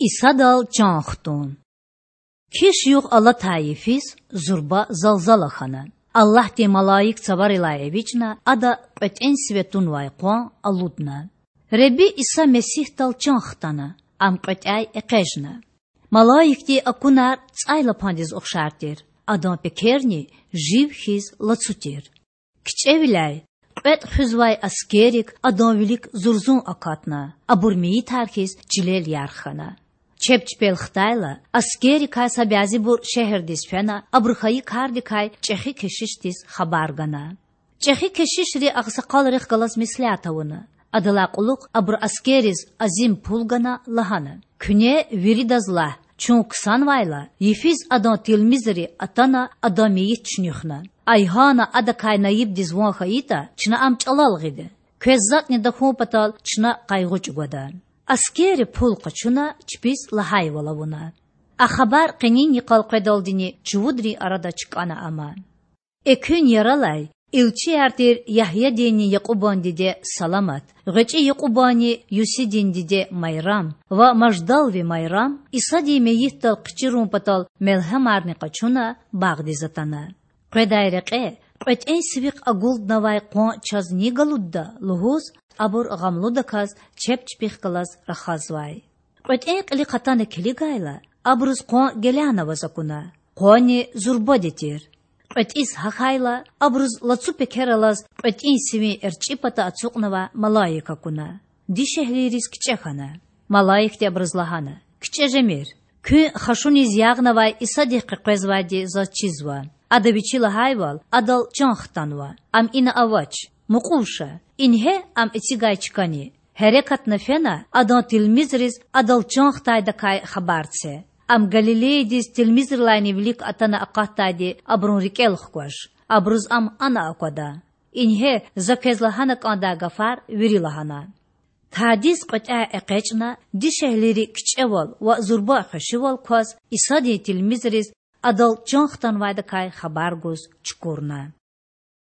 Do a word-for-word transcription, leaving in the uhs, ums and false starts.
Исадал чан хтун. Киш югъ алатай йифиз зурба залзала хьана. Аллагьдин малаик цаварилай эвичӀна, ада кьветӀен сиве тунвай къван алудна. Худа Иса Месигьдал чан хтана, Ам кьветӀяй экъечӀна. Малаикдин акунар цӀайлапандиз ухшар тир, Адан пекерни жив хьиз лацу тир. КичӀевиляй кьветӀ хуьзвай аскеррик Адан вилик зурзун акатна, абур мейитар хьиз чилел ярх хьана. Чеб чпел хтайла, аскеррикай са бязибур шегьердиз фена, абуру хьайи кардикай чӀехи кешишдиз хабар гана. ЧӀехи кешишри агъсакъалрихъ галаз меслят авуна. Адалай кьулухъ абуру аскерриз азим пул гана, лагьана: Куьне виридаз лагь: чун ксанвайла, йифиз Адан тилмизри атана Адан мейит чуьнуьхна. Айгьана Адакай наибдиз ван хьайитӀа, чна ам чӀалал гъида. Квез затӀни тахьун патал чна къайгъу чӀугвада. Аскерри пул къачуна, чпиз лагьайвал авуна. А хабар къенин йикъал къведалдини чувудрин арада чкӀана ама. Экуьн яралай илчияр тир Ягьядинни Якьубан диде Саламат, гъвечӀи Якьубанни Юсидин диде Майрам ва Маждалви Майрам Исадин мейитдал хъичирун патал мелгьемарни къачуна, багъдиз атана. Къведай рекье кьветӀен сивихъ агуднавай къван чаз ни галудда лугьуз, абур гъамлудаказ чеб чпихъ галаз рахазвай. КьветӀен кьилихъ атана килигайла, абуруз къван гелянаваз акуна. Къванни зурбади тир. КьветӀиз гьахьайла, абуруз лацу пекер алаз кьветӀин сивин эрчӀи пата ацукьнавай малаик акуна. Дишегьлийриз кичӀе хьана. Малаикди абуруз лагьана: КичӀе жемир. Куьн хашуниз ягънавай Исадихъ къекъвезвайди заз чизва. Ада Вичи лагьайвал Адал чан хтанва. Ам ина авач. Мукьув ша, ингье Ам эцигай чкани. Гьерекатна фена Адан тилмизриз Адал чан хтайдакай хабар це. Ам Галилеядиз тилмизрилайни вилик атана акъатдайди абурун рикӀел хкваш. Абуруз Ам ана аквада. Ингье За квез лагьана кӀандай гафар вири лагьана. Тадиз кьветӀяй экъечӀна, дишегьлийри кичӀевал ва зурба хвешивал кваз Исадин тилмизриз Адал чан хтанвайдакай хабар гуз чукурна.